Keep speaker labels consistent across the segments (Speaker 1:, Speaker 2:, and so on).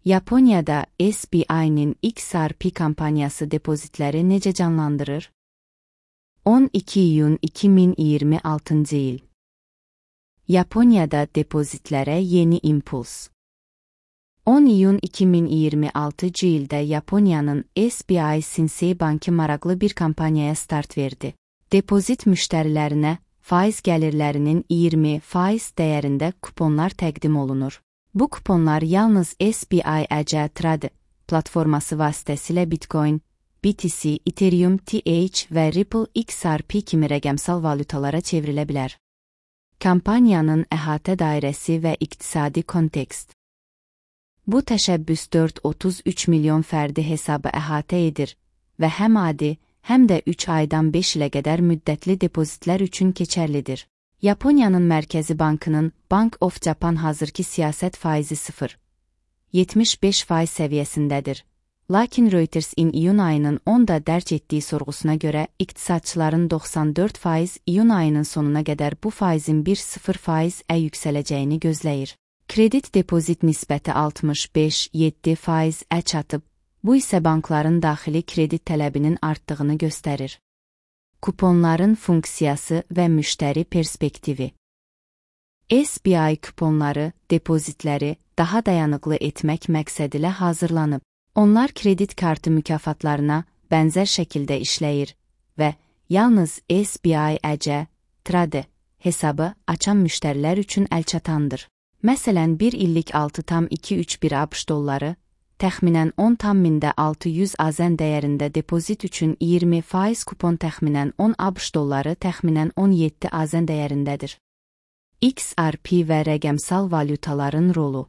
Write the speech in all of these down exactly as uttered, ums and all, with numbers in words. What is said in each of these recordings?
Speaker 1: Yaponiyada S B I'nin X R P kampanyası depozitləri necə canlandırır? on iki iyun iki min iyirmi altıncı il. Yaponiyada depozitlərə yeni impuls. on iyun iki min iyirmi altıncı ildə Yaponiyanın S B I Shinsei Bankı maraqlı bir kampaniyaya start verdi. Depozit müştərilərinə faiz gəlirlərinin iyirmi faiz dəyərində kuponlar təqdim olunur. Bu kuponlar yalnız S B I E C Trade platforması vasitəsilə Bitcoin, B T C, Ethereum, T H və Ripple X R P kimi rəqəmsal valyutalara çevrilə bilər. Kampaniyanın əhatə dairəsi və iqtisadi kontekst. Bu təşəbbüs dörd nöqtə otuz üç milyon fərdi hesabı əhatə edir və həm adi, həm də üç aydan beş ilə qədər müddətli depozitlər üçün keçərlidir. Yaponiyanın Mərkəzi Bankının Bank of Japan hazırki siyasət faizi sıfır nöqtə yetmiş beş faiz səviyyəsindədir. Lakin Reuters-in iyun ayının onda dərc etdiyi sorğusuna görə iqtisadçıların doxsan dörd faiz iyun ayının sonuna qədər bu faizin bir nöqtə sıfır faizə yüksələcəyini gözləyir. Kredit depozit nisbəti altmış beş nöqtə yeddi faizə çatıb, bu isə bankların daxili kredit tələbinin artdığını göstərir. Kuponların funksiyası və müştəri perspektivi. S B I kuponları, depozitləri daha dayanıqlı etmək məqsədilə hazırlanıb. Onlar kredit kartı mükafatlarına bənzər şəkildə işləyir və yalnız S B I E C Trade hesabı açan müştərilər üçün əlçatandır. Məsələn, bir illik altı nöqtə iki üç bir ABŞ dolları, təxminən on nöqtə altı yüz AZN dəyərində depozit üçün iyirmi faiz kupon təxminən on ABŞ dolları təxminən on yeddi AZN dəyərindədir. X R P və rəqəmsal valyutaların rolu.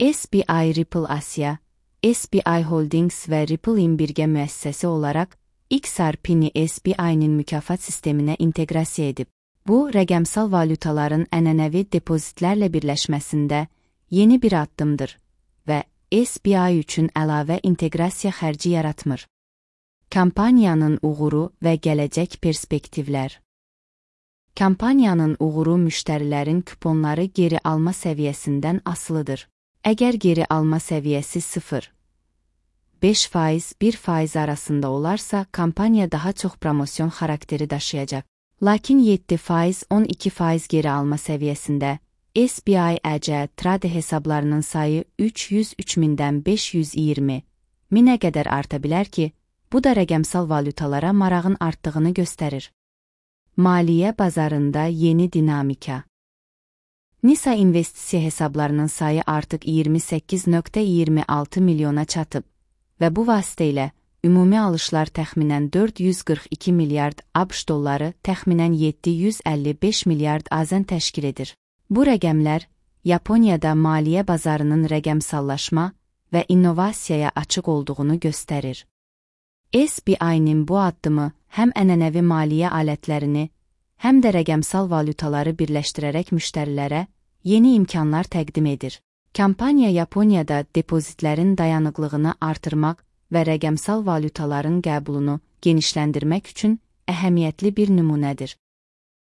Speaker 1: S B I Ripple Asia, S B I Holdings və Ripple-in birgə müəssisəsi olaraq X R P-ni S B I-nin mükafat sisteminə inteqrasiya edib. Bu, rəqəmsal valyutaların ənənəvi depozitlərlə birləşməsində yeni bir addımdır və S B I üçün əlavə inteqrasiya xərci yaratmır. Kampaniyanın uğuru və gələcək perspektivlər. Kampaniyanın uğuru müştərilərin kuponları geri alma səviyyəsindən asılıdır. Əgər geri alma səviyyəsi sıfır nöqtə beş faiz bir faiz arasında olarsa, kampaniya daha çox promosyon xarakteri daşıyacaq. Lakin yeddi faiz on iki faiz geri alma səviyyəsində S B I E C Trade hesablarının sayı üç yüz üç mindən beş yüz iyirmi minə qədər arta bilər ki, bu da rəqəmsal valyutalara marağın artdığını göstərir. Maliyyə bazarında yeni dinamika. Nisa investisiya hesablarının sayı artıq iyirmi səkkiz nöqtə iyirmi altı milyona çatıb və bu vasitə ilə ümumi alışlar təxminən dörd yüz qırx iki milyard ABŞ dolları, təxminən yeddi yüz əlli beş milyard AZN təşkil edir. Bu rəqəmlər Yaponiyada maliyyə bazarının rəqəmsallaşma və innovasiyaya açıq olduğunu göstərir. S B I-nin bu addımı həm ənənəvi maliyyə alətlərini, həm də rəqəmsal valyutaları birləşdirərək müştərilərə yeni imkanlar təqdim edir. Kampaniya Yaponiyada depozitlərin dayanıqlığını artırmaq və rəqəmsal valyutaların qəbulunu genişləndirmək üçün əhəmiyyətli bir nümunədir.